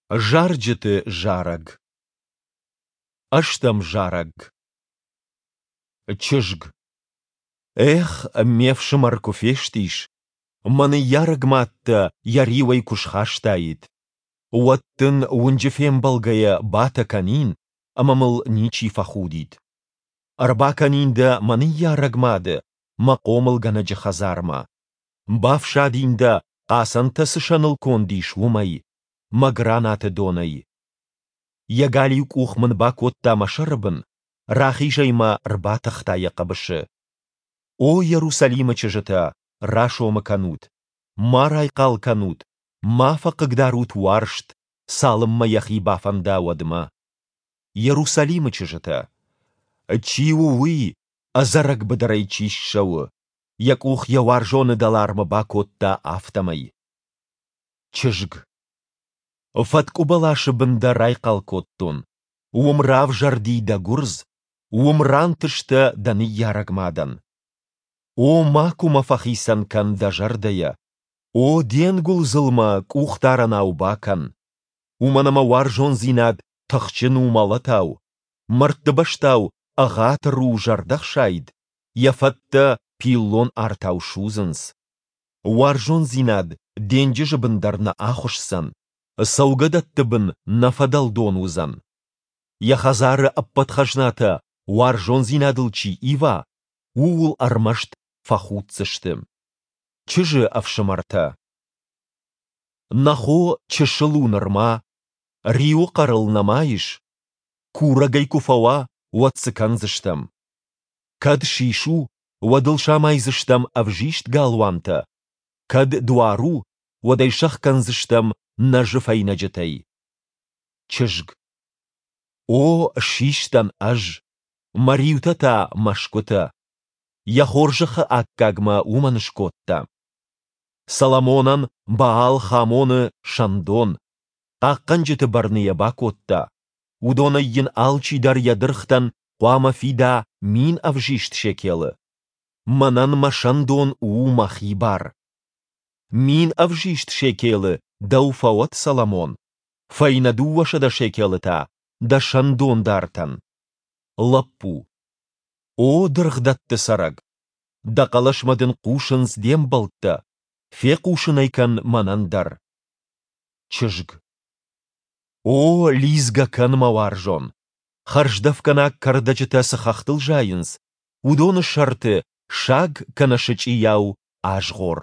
Зарджыты зарӕг. Ӕстӕм зарӕг. Чызг. Эх, ме фсымӕр куы фестис, мӕ ныййарӕг мад дӕ йӕ риуӕй куы схастаид. Уӕд дын уынджы фембӕлгӕйӕ батӕ кӕнин, ӕмӕ мыл ничи фӕхудид. Ӕрбакӕнин дӕ мӕ ныййарӕг мады, мӕ хъомылгӕнӕджы хӕдзармӕ. Бафсадин дӕ, хъацӕнтӕ цы сӕныл конд ис, уымӕй, мӕ гранаты донӕй. Йӕ галиу къух мын бакодта мӕ сӕры бын, рахизӕй мӕ рбатыхта йӕ хъӕбысы. О Иерусалимы чызджытӕ, расомы кӕнут, ма райхъал кӕнут, ма фӕхъыгдарут уарзт, цалынмӕ йӕхи бафӕнда, уӕдмӕ. Иерусалимы чызджытӕ! Чи у уый, ӕдзӕрӕг быдырӕй чи ссӕуы, йӕ къух йӕ уарзоны дӕлармы бакодта, афтӕмӕй? Чызг. Фӕткъуы бӕласы бын дӕ райхъал кодтон. Уым равзӕрди дӕ гуырдз, уым рантыстӕ дӕ ныййарӕг мадӕн. О, макуы мӕ фӕхицӕн кӕн дӕ зӕрдӕйӕ. О, де нгуылдзыл мӕ къухдарӕнау бакӕн. Уымӕн ӕмӕ уарзондзинад тыхджын у мӕлӕтау, мӕрдтыбӕстау ӕгъатыр у зӕрдӕхсайд, йӕ фӕттӕ пиллон артау судзынц. Уарзондзинад денджызы бын дӕр нӕ ахуысдзӕн, цӕугӕдӕтты бын нӕ фӕдӕлдон уыдзӕн. Йӕ хӕдзары ӕппӕт хӕзнатӕ уарзондзинадыл чи ива, ууыл ӕрмӕст фӕхуддзысты. Чызджы ӕфсымӕртӕ. Нӕ хо чысыл у нырма, риуы хъӕр ыл нӕма ис. Курӕг ӕй куы фӕуа, уӕд цы кӕндзыстӕм? Кӕд сис у, уӕд ыл самайдзыстӕм ӕвзист галуантӕ, кӕд дуар у, уӕд ӕй сӕхгӕндзыстӕм нӕзы фӕйнӕджытӕй. Чызг. О, систӕн ӕз, мӕ риутӕ та мӕсгуытӕ. Йӕ хорзӕхы аккаг мӕ уымӕн скодта. Соломонӕн Баал-Хамоны сӕндон, хъахъхъӕнджыты бӕрны йӕ бакодта, уыдонӕй йын алчидӕр йӕ дыргътӕн хъуамӕ фида мин ӕвзист шекелы. Мӕнӕн мӕ сӕндон у мӕхи бар. Мин ӕвзист шекелы дӕу фӕуӕд, Соломон, фӕйнӕ 200 шекелы та дӕ сӕндондартӕн. Лӕппу. О дыргъдӕтты цӕрӕг! Дӕ хъӕлӕсмӕ дын хъусынц де мбӕлттӕ, фехъусын ӕй кӕн мӕнӕн дӕр. Чызг. О, лидзгӕ кӕн, мӕ уарзон! Хӕрздӕфгӕнаг кӕрдӕджытӕ цы хӕхтыл зайынц, уыдоны сӕрты саг кӕнӕ сычъийау азгъор.